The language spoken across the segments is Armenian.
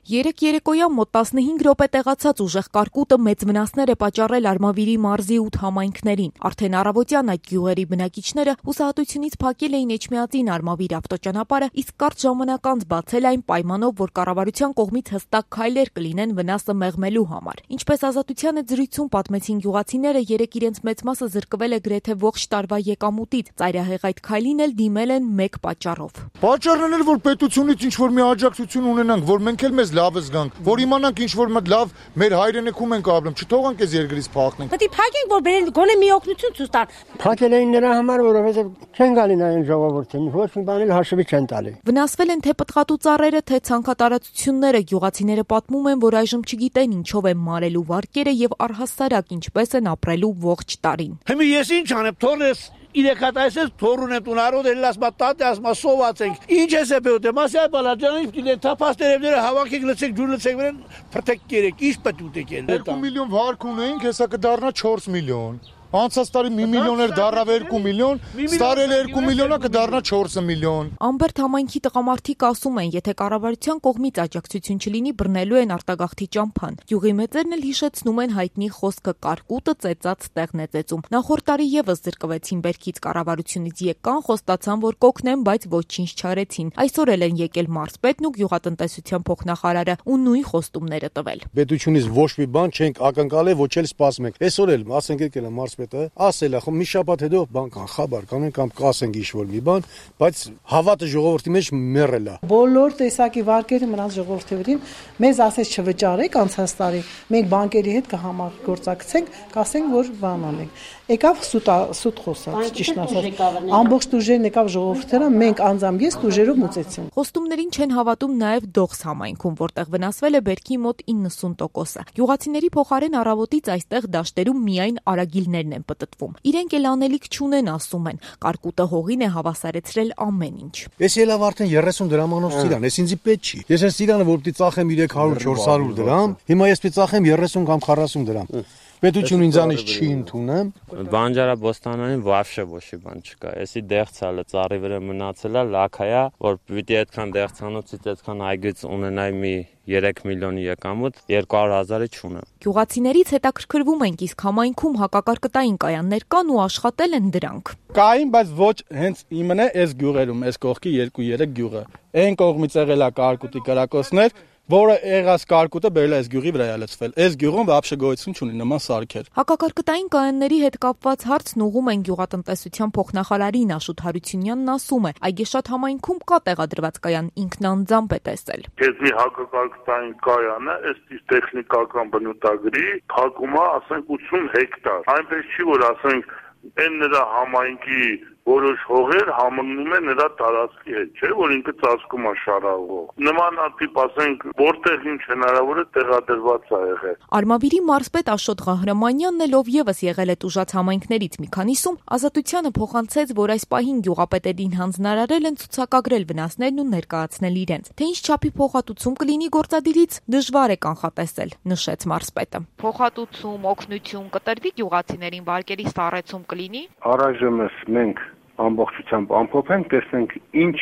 Երեկ երեկոյան մոտ 15 րոպե տեղացած ուժեղ կարկուտը մեծ վնասներ է պատճառել Արմավիրի մարզի 8 համայնքներին։ Արդեն առավոտյան այդ գյուղերի բնակիչները հուսահատությունից փակել էին Էջմիածին Արմավիր ավտոճանապարհը, իսկ կարճ ժամանակ անց բացել այն պայմանով, որ կառավարության կողմից հստակ քայլեր կլինեն վնասը մեղմելու համար։ Ինչպես Ազատության հետ զրույցում պատմեցին գյուղացիները, երեկ իրենց մեծ մասը զրկվել է գրեթե ողջ տարվա եկամուտից։ Ծայրահեղ այդ քայլին էլ դիմել են մեկ պատճառով։ Պատճառն էլ որ պետությունից ինչ որ մի աջակցություն ունենանք, որ մենք էլ մեզ լավը զգանք, որ իմանանք ինչ որ մտ լավ մեր հայրենիքում ենք ապրում, չթողանք այս երկրից փախնենք։ Պետք է փակենք, որ բերեն գոնե մի օգնություն ցույց տան։ Փակել էին նրա համար, որովհետև չեն գալին այն ժողովրդին, ոչ մի բան էլ հաշվի չեն տալի։ Վնասվել են թե պտղատու ծառերը, թե ցանքատարածությունները։ Գյուղացիները պատմում են, որ այժմ չգիտեն ինչով են մարելու վարկերը եւ առհասարակ ինչպես են ապրելու ողջ տարին։ Հիմա ես ինչ անեմ, թողնես իրեկատայսես թորունե տունարոդ էլ ասма տատե ասма սոված ենք ինչ ես է բեուտե մասի այ բալաջանից դին թափած տերևները հավաքեք լցեք ջուր լցեք վրան փրտեք կերեք ինչ պետք ուտեք էլ 2 միլիոն վարկ ունեինք հեսա կդառնա 4 միլիոն Անցած տարի 1 միլիոն էր դառավ 2 միլիոն, ստարել 2 միլիոնը կդառնա 4 միլիոն։ Ամբերտ համայնքի տղամարդիկ ասում են, եթե կառավարության կողմից աջակցություն չլինի, բռնելու են արտագաղթի ճամփան։ Գյուղի մեծերն էլ հիշեցնում են հայտնի խոսքը կարկուտը ծեծած տեղն է ծեծում։ Նախորդ տարի եւս զրկվեցին բերքից կառավարությունից եկան, խոստացան, որ կօգնեն, բայց ոչինչ չարեցին։ Այսօր էլ են եկել մարզպետն ու գյուղատնտեսության փոխնախարարը ու նույն խոստումները տվել։ Պետությունից ոչ մի բան չենք ակնկալել, ոչ էլ սպասում ենք։ Այսօր էլ ասենք եկել է ասել է, մի շաբաթ հետո բան կան, խաբար կանեն կամ կասենք ինչ-որ մի բան, բայց հավատը ժողովրդի մեջ մեռել է։ Բոլոր տեսակի վարկերը մնաց ժողովրդի վրին, մեզ ասես չվճարեք անցած տարի, մենք բանկերի հետ կհամագործակցենք, կասենք, որ բան անենք։ Եկավ սուտ խոսած, ճիշտ ասած։ Ամբողջ տուժերն եկավ ժողովրդերը, մենք անձամբ ես տուժերով մուծեցինք։ Խոստումներին չեն հավատում նաև Դողս համայնքում, որտեղ վնասվել է բերքի մոտ 90%-ը։ Գյուղացիների փոխարեն առավոտից այստեղ դաշտերում միայն արագիլներն են պտտվում։ Իրենք էլ անելիք չունեն, ասում են։ Կարկուտը հողին է հավասարեցրել ամեն ինչ։ Ես ելավ արդեն 30 դրամանով ծիրան, ես ինձի պետք չի։ Ես այս ծիրանը որ պիտի ծախեմ 300-400 դրամ, հիմա ես պիտի ծախեմ 30 կամ 40 դրամ։ Պետություն ինձանից չի ընդունում։ Բանջարաբոստանային вообще ոչի բան չկա։ Էսի դեղցալը ծառի վրա մնացել է, լաքայա, որ պիտի այդքան դեղցանոցից այդքան այգից ունենայի մի 3 միլիոնի եկամուտ 200,000-ը չունեմ։ Գյուղացիներից հետաքրքրվում ենք, իսկ համայնքում հակակարկտային կայաններ կան ու աշխատել են դրանք։ Կային, բայց ոչ հենց իմն է այս գյուղերում, այս կողքի 2-3 գյուղը։ Այն կողմից եղել է կարկուտի կրակոցներ, որը եղած կարկուտը բերել է այս գյուղի վրա լցվել։ Այս գյուղում вообще գոյություն չունի նման սարքեր։ Հակակարկտային կայանների հետ կապված հարցն ուղղում են գյուղատնտեսության փոխնախարարին Աշոտ Հարությունյանն ասում է, Այգեշատ համայնքում կա տեղադրված կայան, ինքն անձամբ է տեսել։ Քեզի հակակարկտային կայանը ըստ տեխնիկական բնութագրի փակում է, ասենք 80 հեկտար։ Այնպես չի, որ ասենք այն նրա համայնքի որոշ հողեր համընկնում է նրա տարածքի հետ, չէ՞, որ ինքը ծածկում է շարավող։ Նմանատիպ, ասենք, որտեղ ինչ հնարավոր է տեղադրված է եղել։ Արմավիրի մարզպետ Աշոտ Ղահրամանյանն էլ ով եւս եղել է տուժած համայնքներից մի քանիսում, Ազատությանը փոխանցեց, որ այս պահին գյուղապետերին հանձնարարել են ցուցակագրել վնասներն ու ներկայացնել իրենց։ Թե ինչ չափի փոխհատուցում կլինի գործադիրից, դժվար է կանխատեսել, նշեց մարզպետը։ Փոխհատուցում, օգնություն կտրվի գյուղացիներին, վարկերի սառեցում կլինի։ Առայժմ մենք ամբողջությամբ ամփոփենք, տեսնենք ինչ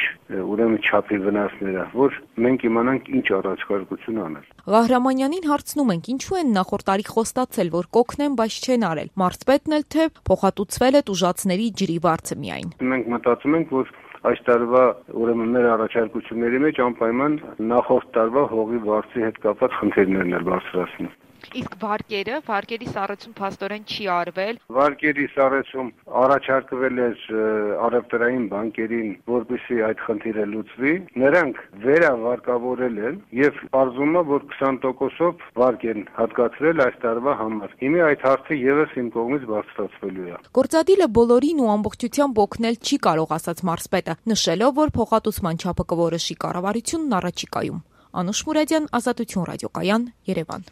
ուրեմն չափի վնասները, որ մենք իմանանք ինչ առաջարկություն անել։ Ղահրամանյանին հարցնում ենք, ինչու են նախորդ տարի խոստացել, որ կօգնեն, բայց չեն արել։ Մարզպետն էլ թե փոխհատուցվել է տուժածների ջրի վարձը միայն։ Մենք մտածում ենք, որ այս տարվա ուրեմն մեր առաջարկությունների մեջ անպայման նախորդ տարվա հողի վարձի հետ կապված խնդիրներն էլ բարձրացնում։ Իսկ վարկերի սառեցում փաստորեն չի արվել։ Վարկերի սառեցում առաջարկվել է առևտրային բանկերին, որպեսզի այդ խնդիրը լուծվի։ Նրանք վերավարկավորել են եւ պարզվում է, որ 20%-ով վարկ են հատկացրել այս տարվա համար։ Հիմա այդ հարցը եւս իմ կողմից բարձրացվելու է։ Գործադիլը բոլորին ու ամբողջությամբ օգնել չի կարող, ասաց մարզպետը, նշելով, որ փոխհատուցման չափը կորոշի կառավարությունն առաջիկայում։ Անուշ Մուրադյան, Ազատություն ռադիոկայան, Երևան։